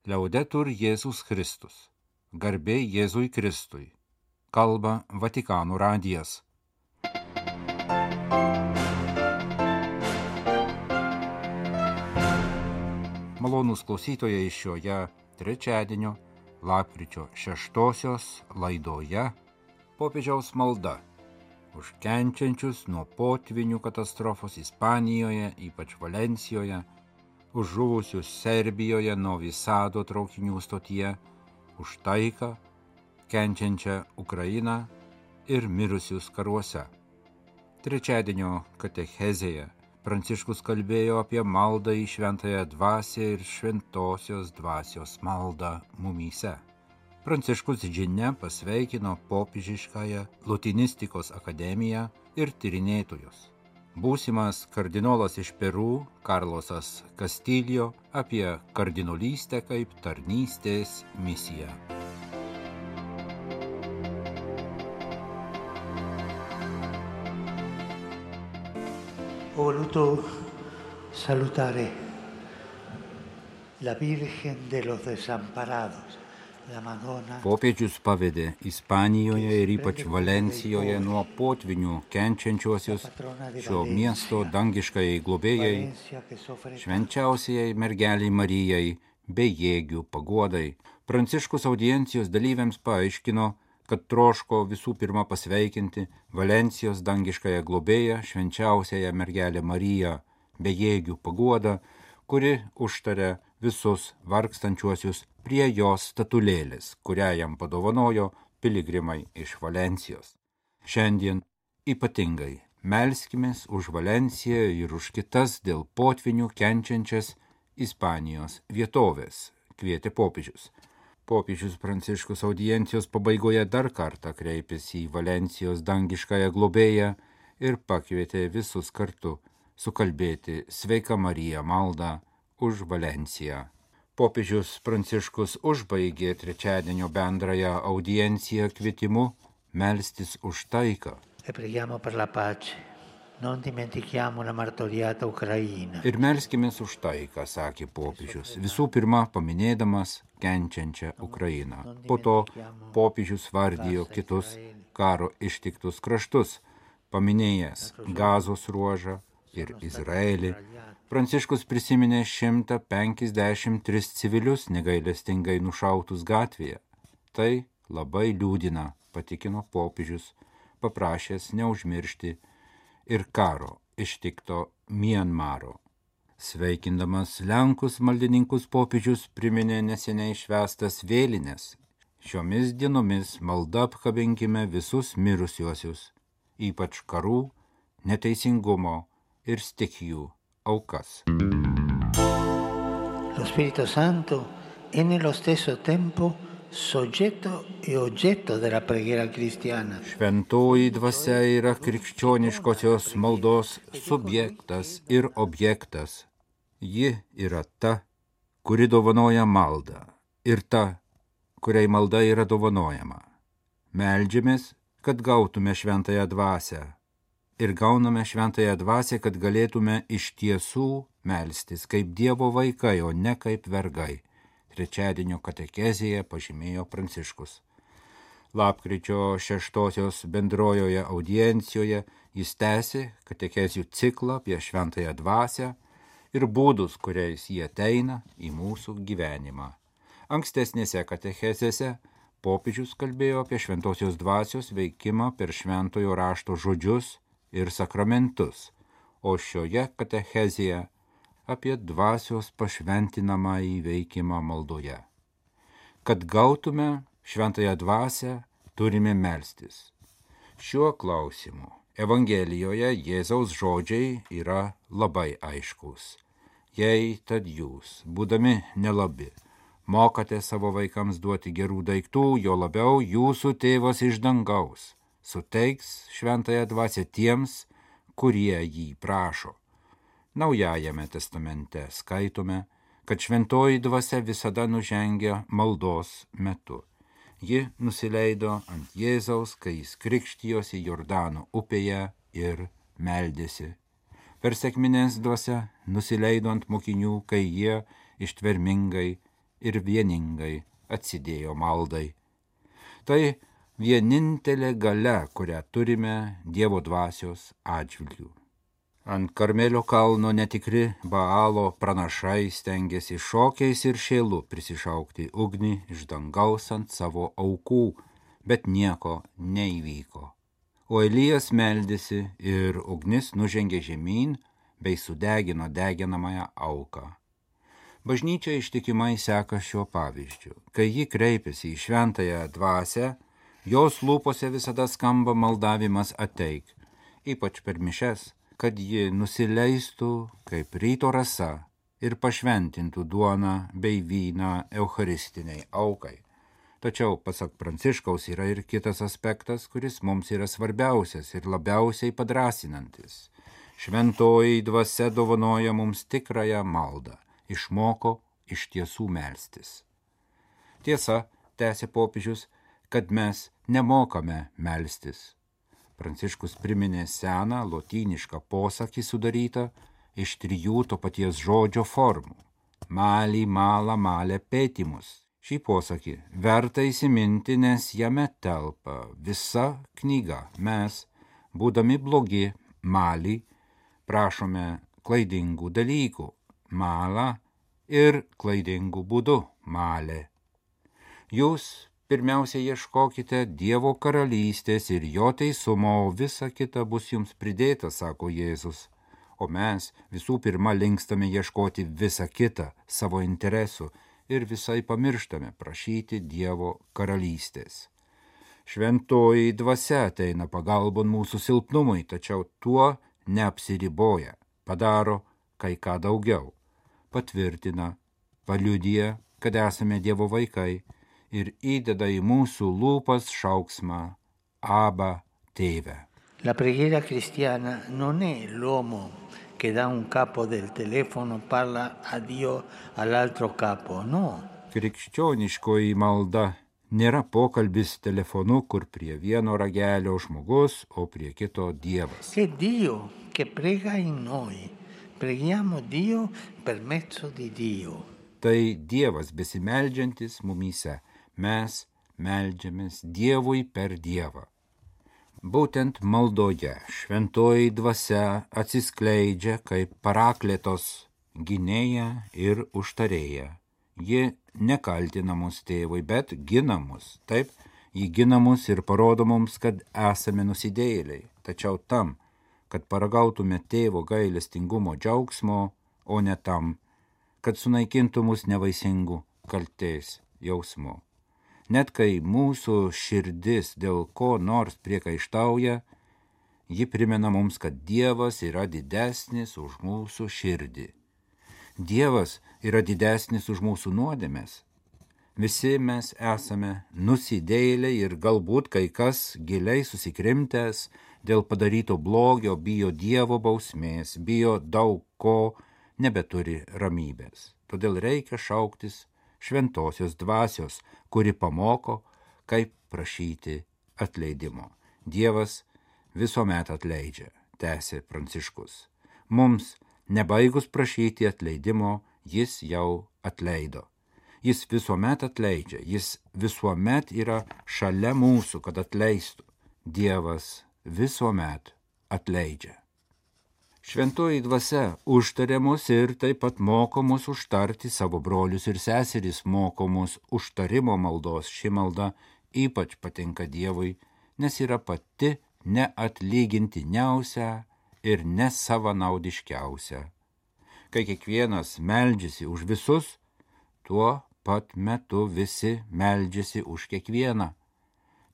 Liaudetur Jėzus Kristus. Garbė Jėzui Kristui. Kalba Vatikano radijas. Malonūs klausytojai šioje trečiadienio lapkričio 6 laidoje popiežiaus malda už kenčiančius nuo potvinių katastrofos Ispanijoje, ypač Valencijoje, už žuvusius Serbijoje Novi Sado traukinių stotyje, už taiką, kenčiančią Ukrainą ir mirusius karuose. Trečiadienio katechezėje Pranciškus kalbėjo apie maldą į šventąją dvasią ir šventosios dvasios maldą mumyse. Pranciškus žinia pasveikino popiežiškąją Lutinistikos akademiją ir tyrinėtojus. Būsimas kardinolas iš Peru, Karlosas Castillo, apie kardinolystę kaip tarnystės misiją. Ho voluto salutare la Virgen de los Desamparados, la Madonna. Popiežius pavedė Ispanijoje ir ypač Valencijoje nuo potvinių kenčiančiuosius šio miesto dangiškajai globėjai, švenčiausiai mergeliai Marijai, bejėgių paguodai. Pranciškus audiencijos dalyviams paaiškino, kad troško visų pirma pasveikinti Valencijos dangiškąją globėją, švenčiausiąją mergelę Mariją, bejėgių paguodą, kuri užtaria visus vargstančiuosius prie jos statulėlės, kurią jam padovanojo piligrimai iš Valencijos. Šiandien ypatingai melskimės už Valenciją ir už kitas dėl potvinių kenčiančias Ispanijos vietovės, kvietė popiežius. Popiežius Pranciškus audiencijos pabaigoje dar kartą kreipėsi į Valencijos dangiškąją globėją ir pakvietė visus kartu sukalbėti Sveika Marija maldą už Valenciją. Popiežius Pranciškus užbaigė trečiadienio bendrąją audienciją kvietimu melstis už taiką. Ir melskimės už taiką, sakė popiežius, visų pirma paminėdamas kenčiančią Ukrainą. Po to popiežius vardijo kitus karo ištiktus kraštus, paminėjęs Gazos ruožą ir Izraelį. Pranciškus prisiminė 153 civilius negailestingai nušautus gatvėje. Tai labai liūdina, patikino popiežius, paprašęs neužmiršti ir karo ištikto Mianmaro. Sveikindamas Lenkus maldininkus popiežius priminė neseniai švęstas vėlines. Šiomis dienomis malda apkabinkime visus mirusiuosius, ypač karų, neteisingumo ir stichijų aukas. Lo Spirito Santo è nello stesso tempo soggetto e oggetto della preghiera cristiana. Šventoji dvasia yra krikščioniškosios maldos subjektas ir objektas. Ji yra ta, kuri dovanoja maldą, ir ta, kuriai malda yra dovanojama. Meldžiamės, kad gautume šventąją dvasią. Ir gauname šventąją dvasią, kad galėtume iš tiesų melstis kaip Dievo vaikai, o ne kaip vergai. Trečiadienio katekezėje pažymėjo Pranciškus. Lapkričio 6 bendrojoje audiencijoje jis tęsė katekezių ciklą apie šventąją dvasią ir būdus, kuriais jie ateina į mūsų gyvenimą. Ankstesnėse katechezėse popiežius kalbėjo apie šventosios dvasios veikimą per šventojo rašto žodžius ir sakramentus, o šioje katechezėje apie dvasios pašventinamąjį veikimą maldoje. Kad gautume šventąją dvasią, turime melstis. Šiuo klausimu Evangelijoje Jėzaus žodžiai yra labai aiškus. Jei tad jūs, būdami nelabi, mokate savo vaikams duoti gerų daiktų, jo labiau jūsų tėvas iš dangaus suteiks šventąją dvasią tiems, kurie jį prašo. Naujajame testamente skaitome, kad šventoji dvasia visada nužengia maldos metu. Ji nusileido ant Jėzaus, kai jis krikštijosi Jordano upėje ir meldėsi. Per sekmines dvasia nusileido ant mokinių, kai jie ištvermingai ir vieningai atsidėjo maldai. Tai vienintelė galia, kurią turime Dievo dvasios atžvilgių. Ant Karmelio kalno netikri Baalo pranašai stengiasi šokiais ir šėlu prisišaukti ugnį iš dangaus ant savo aukų, bet nieko neįvyko. O Elijas meldėsi ir ugnis nužengė žemyn bei sudegino deginamąją auką. Bažnyčia ištikimai seka šiuo pavyzdžiu. Kai ji kreipiasi į šventąją dvasią, jos lūpose visada skamba maldavimas ateik, ypač per mišes, kad ji nusileistų kaip ryto rasa ir pašventintų duoną bei vyną eucharistiniai aukai. Tačiau, pasak Pranciškaus, yra ir kitas aspektas, kuris mums yra svarbiausias ir labiausiai padrasinantis. Šventoji dvasia dovanoja mums tikrąją maldą, išmoko iš tiesų melstis. Tiesa, tęsė popiežius, kad mes nemokame melstis. Pranciškus priminė seną lotynišką posakį sudarytą iš 3 to paties žodžio formų – mali, mala, male, petimus. Šį posakį verta įsiminti, nes jame telpa visa knyga. Mes, būdami blogi, mali, prašome klaidingų dalykų, mala ir klaidingų būdų, male. Jūs pirmiausia ieškokite Dievo karalystės ir jo teisumo, o visa kita bus jums pridėta, sako Jėzus. O mes visų pirma linkstame ieškoti visą kitą savo interesų ir visai pamirštame prašyti Dievo karalystės. Šventoji dvasia ateina pagalbon mūsų silpnumui, tačiau tuo neapsiriboja, padaro kai ką daugiau, patvirtina, paliudija, kad esame Dievo vaikai, ir įdeda į mūsų lūpas šauksmą Abba, tėve. La preghiera cristiana non è l'uomo che da un capo del telefono parla a Dio all'altro capo, no. Krikščioniškoji malda nėra pokalbis telefonu, kur prie vieno ragelio žmogus, o prie kito Dievas. È Dio che prega in noi. Preghiamo Dio per mezzo di Dio. Tai Dievas besimeldžiantis mumyse. Mes meldžiamės Dievui per Dievą. Būtent maldoje šventoji dvasia atsiskleidžia kaip parakletos gynėja ir užtarėja. Ji nekaltina mus tėvui, bet gina mus. Taip, ji gina mus ir parodo mums, kad esame nusidėjėliai. Tačiau tam, kad paragautume tėvo gailestingumo džiaugsmo, o ne tam, kad sunaikintų mus nevaisingų kaltės jausmų. Net kai mūsų širdis dėl ko nors priekaištauja, ji primena mums, kad Dievas yra didesnis už mūsų širdį. Dievas yra didesnis už mūsų nuodėmes. Visi mes esame nusidėjėliai ir galbūt kai kas giliai susikrimtęs dėl padaryto blogio bijo Dievo bausmės, bijo daug ko, nebeturi ramybės. Todėl reikia šauktis šventosios dvasios, kuri pamoko, kaip prašyti atleidimo. Dievas visuomet atleidžia, tęsė Pranciškus. Mums, nebaigus prašyti atleidimo, jis jau atleido. Jis visuomet atleidžia, jis visuomet yra šalia mūsų, kad atleistų. Dievas visuomet atleidžia. Šventoji dvasia užtarė mus ir taip pat moko mus užtarti savo brolius ir seseris, moko mus užtarimo maldos. Ši malda ypač patinka Dievui, nes yra pati neatlygintiniausia ir nesavanaudiškiausia. Kai kiekvienas meldžiasi už visus, tuo pat metu visi meldžiasi už kiekvieną.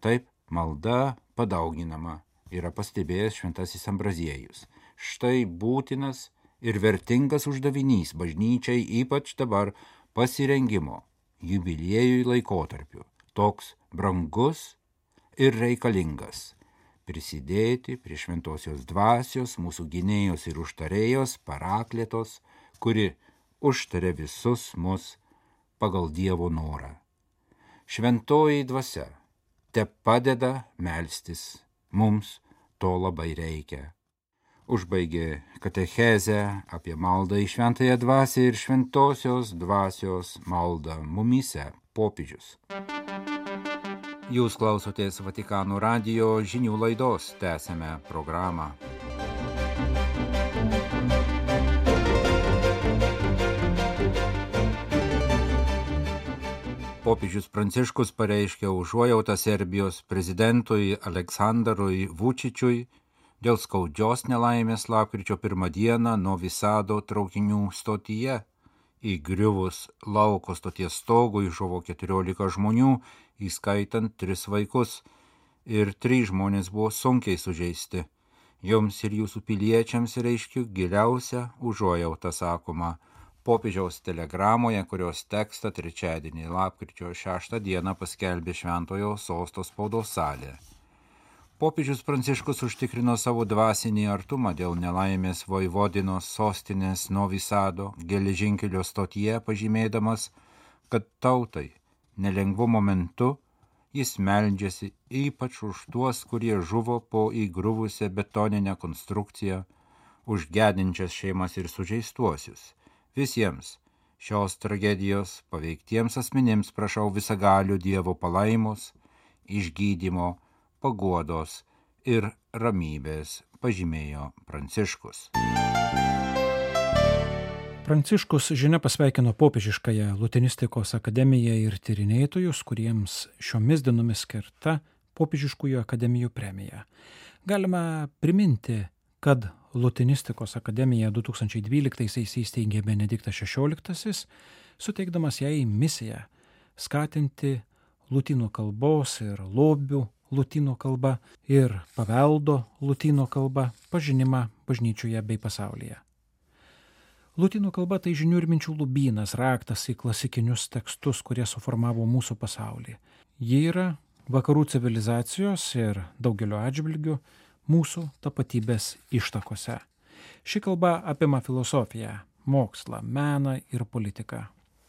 Taip malda padauginama, yra pastebėjęs šventasis Ambraziejus. Štai būtinas ir vertingas uždavinys bažnyčiai, ypač dabar pasirengimo jubiliejui laikotarpiu. Toks brangus ir reikalingas. Prisidėti prie šventosios dvasios, mūsų gynėjos ir užtarėjos, parakletos, kuri užtarė visus mus pagal Dievo norą. Šventoji dvasia te padeda melstis, mums to labai reikia. Užbaigė katechezę apie maldą į šventąją dvasią ir šventosios dvasios maldą mumyse popiežius. Jūs klausotės Vatikano radijo žinių laidos, tęsiame programą. Popiežius Pranciškus pareiškė užuojautą Serbijos prezidentui Aleksandrui Vučičiui dėl skaudžios nelaimės lapkričio 1 dieną Novi Sado traukinių stotyje. Įgriuvus lauko stoties stogui žuvo 14 žmonių, įskaitant 3 vaikus, ir 3 žmonės buvo sunkiai sužeisti. Jums ir jūsų piliečiams reiškiu giliausią užuojautą, sakoma popiežiaus telegramoje, kurios tekstą trečiadienį lapkričio 6 dieną paskelbė Šventojo Sosto spaudos salė. Popiežius Pranciškus užtikrino savo dvasinį artumą dėl nelaimės Vojvodinos sostinės Novi Sado geležinkelio stotyje, pažymėdamas, kad tautai nelengvu momentu jis meldžiasi ypač už tuos, kurie žuvo po įgriuvusią betoninę konstrukciją, už gedinčias šeimas ir sužeistuosius. Visiems šios tragedijos paveiktiems asmenims prašau visagalių Dievo palaimos, išgydymo, paguodos ir ramybės, pažymėjo Pranciškus. Pranciškus žinia pasveikino popiežiškąją Lutenistikos akademiją ir tyrinėtojus, kuriems šiomis dienomis skirta popiežiškųjų akademijų premija. Galima priminti, kad Lutenistikos akademiją 2012 įsteigė Benediktas XVI, suteikdamas jai misiją skatinti lotynų kalbos ir lobių lotynų kalba ir paveldo lotynų kalba pažinimą bažnyčioje bei pasaulyje. Lotynų kalba tai žinių ir minčių lobynas, raktas į klasikinius tekstus, kurie suformavo mūsų pasaulį. Ji yra vakarų civilizacijos ir daugelio atžvilgių mūsų tapatybės ištakose. Ši kalba apima filosofiją, mokslą, meną ir politiką.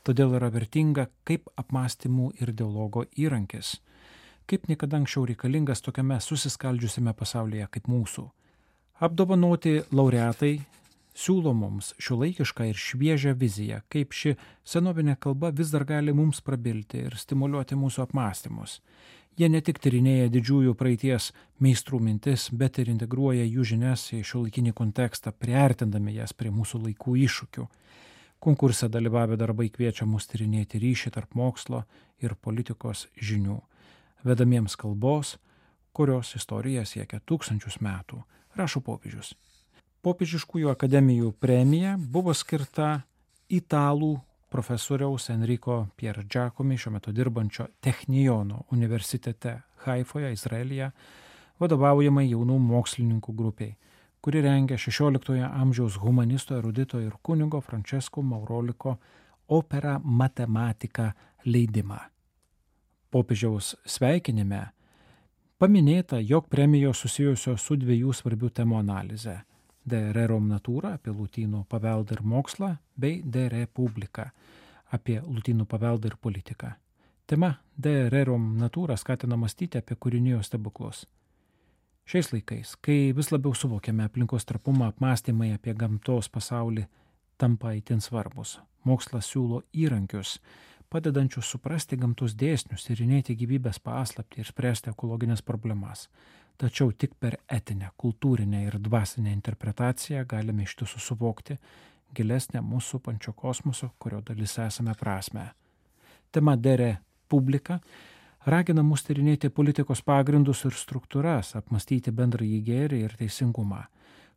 Todėl yra vertinga kaip apmąstymų ir dialogo įrankis, kaip niekada anksčiau reikalingas tokiame susiskaldžiusiame pasaulyje kaip mūsų. Apdovanoti laureatai siūlo mums šiuolaikišką ir šviežią viziją, kaip ši senovinė kalba vis dar gali mums prabilti ir stimuliuoti mūsų apmąstymus. Jie ne tik tyrinėja didžiųjų praeities meistrų mintis, bet ir integruoja jų žinias į šiuolaikinį kontekstą, priartindami jas prie mūsų laikų iššūkių. Konkurse dalyvavę darbai kviečia mus tyrinėti ryšį tarp mokslo ir politikos žinių, vedamiems kalbos, kurios istorija siekia 1000 metų, rašo popiežius. Popiežiškųjų akademijų premija buvo skirta italų profesoriaus Enrico Piergiacomi, šiuo metu dirbančio Technijono universitete Haifoje, Izraelyje, vadovaujamai jaunų mokslininkų grupiai, kuri rengia 16 amžiaus humanisto, erudito ir kunigo Francesco Mauroliko Opera Matematica leidimą. Popiežiaus sveikinime paminėta, jog premijos susijusios su 2 svarbių temų analize – De Rerum Natura apie lotynų paveldą ir mokslą bei De Republica apie lotynų paveldą ir politiką. Tema De Rerum Natura skatina mąstyti apie kūrinijos stebuklus. Šiais laikais, kai vis labiau suvokiame aplinkos trapumą, apmąstymai apie gamtos pasaulį tampa itin svarbus. Mokslas siūlo įrankius, padedančius suprasti gamtos dėsnius, tyrinėti gyvybės paslaptį ir spręsti ekologines problemas. Tačiau tik per etinę, kultūrinę ir dvasinę interpretaciją galime iš tiesų suvokti gilesnę mūsų pančio kosmoso, kurio dalis esame prasme. Tema De Republica ragina mus tyrinėti politikos pagrindus ir struktūras, apmąstyti bendrąjį gėrį ir teisingumą.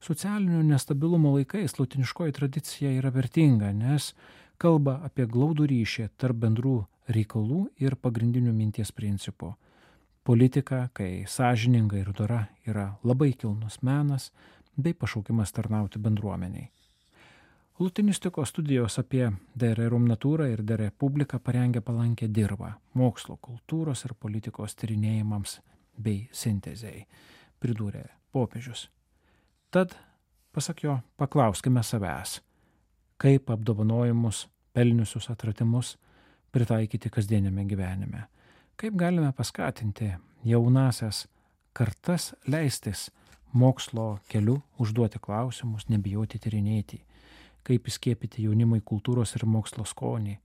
Socialinio nestabilumo laikais lotiniškoji tradicija yra vertinga, nes kalba apie glaudų ryšį tarp bendrų reikalų ir pagrindinių minties principų. Politika, kai sąžininga ir dora, yra labai kilnus menas bei pašaukimas tarnauti bendruomeniai. Lutenistikos studijos apie De Rerum Natura ir De Republica parengė palankę dirvą mokslo, kultūros ir politikos tyrinėjimams bei sintezei, pridūrė popiežius. Tad, pasak jo, paklauskime savęs, kaip apdovanojimus, pelniusius atradimus pritaikyti kasdieniame gyvenime. Kaip galime paskatinti jaunasias kartas leistis mokslo keliu užduoti klausimus, nebijoti tyrinėti, kaip įskiepyti jaunimui kultūros ir mokslo skonį.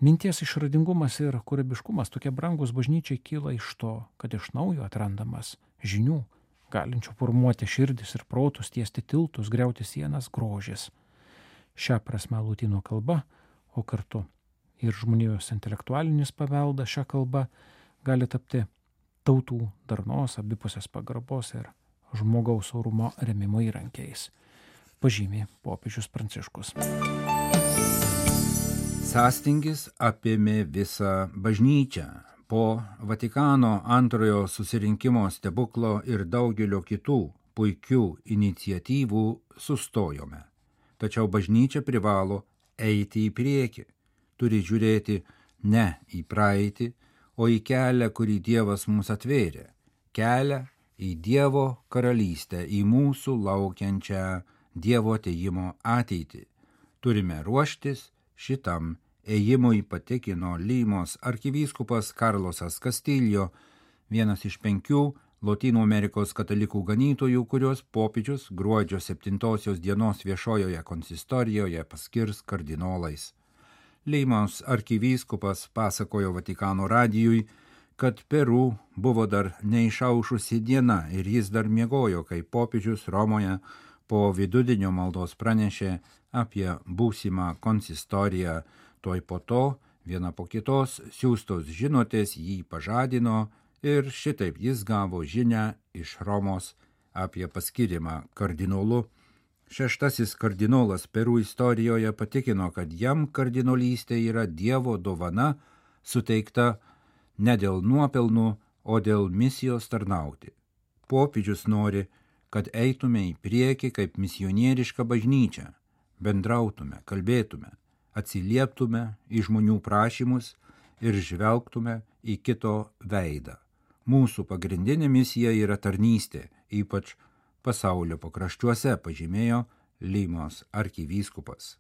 Minties išradingumas ir kūrybiškumas tokie brangus bažnyčiai kyla iš to, kad iš naujo atrandamas žinių, galinčių formuoti širdis ir protus, tiesti tiltus, griauti sienas, grožis. Šią prasme lotynų kalba, o kartu ir žmonijos intelektualinis paveldas šią kalbą gali tapti tautų darnos, abipusės pagarbos ir žmogaus orumo remimo įrankiais, pažymė popiežius Pranciškus. Sąstingis apėmė visą bažnyčią. Po Vatikano antrojo susirinkimo stebuklo ir daugelio kitų puikių iniciatyvų sustojome. Tačiau bažnyčia privalo eiti į priekį, turi žiūrėti ne į praeitį, o į kelią, kurį Dievas mums atvėrė, kelią į Dievo karalystę, į mūsų laukiančią Dievo atėjimo ateitį. Turime ruoštis šitam ėjimui, patikino Limos arkivyskupas Karlosas Castillo, vienas iš 5 Lotynų Amerikos katalikų ganytojų, kurios popiežius gruodžio 7 dienos viešojoje konsistorijoje paskirs kardinolais. Limos arkivyskupas pasakojo Vatikano radijui, kad Peru buvo dar neišaušusi diena ir jis dar miegojo, kai popiežius Romoje po vidudienio maldos pranešė apie būsimą konsistoriją. Tuoj po to, viena po kitos, siųstos žinutės jį pažadino ir šitaip jis gavo žinią iš Romos apie paskirimą kardinolu. 6. kardinolas Peru istorijoje patikino, kad jam kardinolystė yra Dievo dovana, suteikta ne dėl nuopelnų, o dėl misijos tarnauti. Popiežius nori, kad eitume į priekį kaip misionieriška bažnyčia, bendrautume, kalbėtume, atsilieptume į žmonių prašymus ir žvelgtume į kito veidą. Mūsų pagrindinė misija yra tarnystė, ypač pasaulio pakraščiuose, pažymėjo Limos arkivyskupas.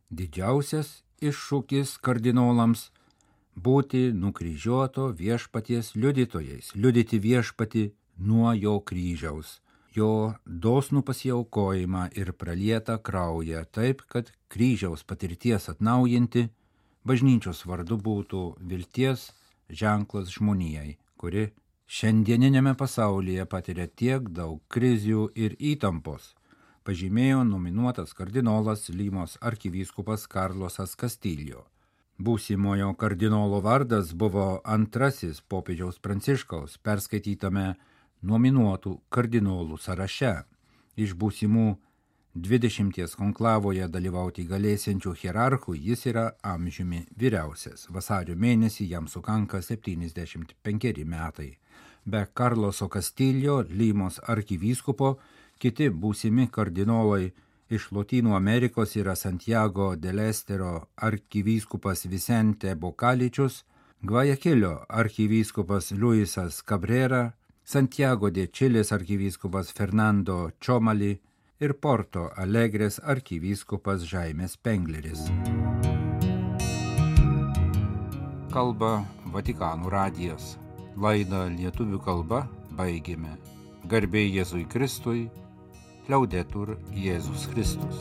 Didžiausias iššūkis kardinolams – būti nukryžiuoto viešpaties liudytojais, liudyti viešpatį nuo jo kryžiaus, jo dosnų pasiaukojimą ir pralietą kraują, taip, kad kryžiaus patirties atnaujinti bažnyčios vardu būtų vilties ženklas žmonijai, kuri šiandieninėme pasaulyje patiria tiek daug krizių ir įtampos, pažymėjo nominuotas kardinolas Limos arkivyskupas Karlosas Castillo. Būsimojo kardinolo vardas buvo antrasis popiežiaus Pranciškaus perskaitytame nominuotų kardinolų sąraše. Iš būsimų 20 konklavoje dalyvauti galėsiančių hierarchų jis yra amžiumi vyriausias. Vasario mėnesį jam sukanka 75 metai. Be Karloso Castillo, Limos arkivyskupo, kiti būsimi kardinolai iš Lotynų Amerikos yra Santiago del Estero arkivyskupas Vicente Bocaličius, Gvajakilio arkivyskupas Luisas Cabrera, Santiago de Čilės arkivyskupas Fernando Čomali ir Porto Alegrės arkivyskupas Žaimes Pengleris. Kalba Vatikano radijas. Laidą lietuvių kalba baigėme. Garbė Jėzui Kristui, Liaudetur Jėzus Kristus.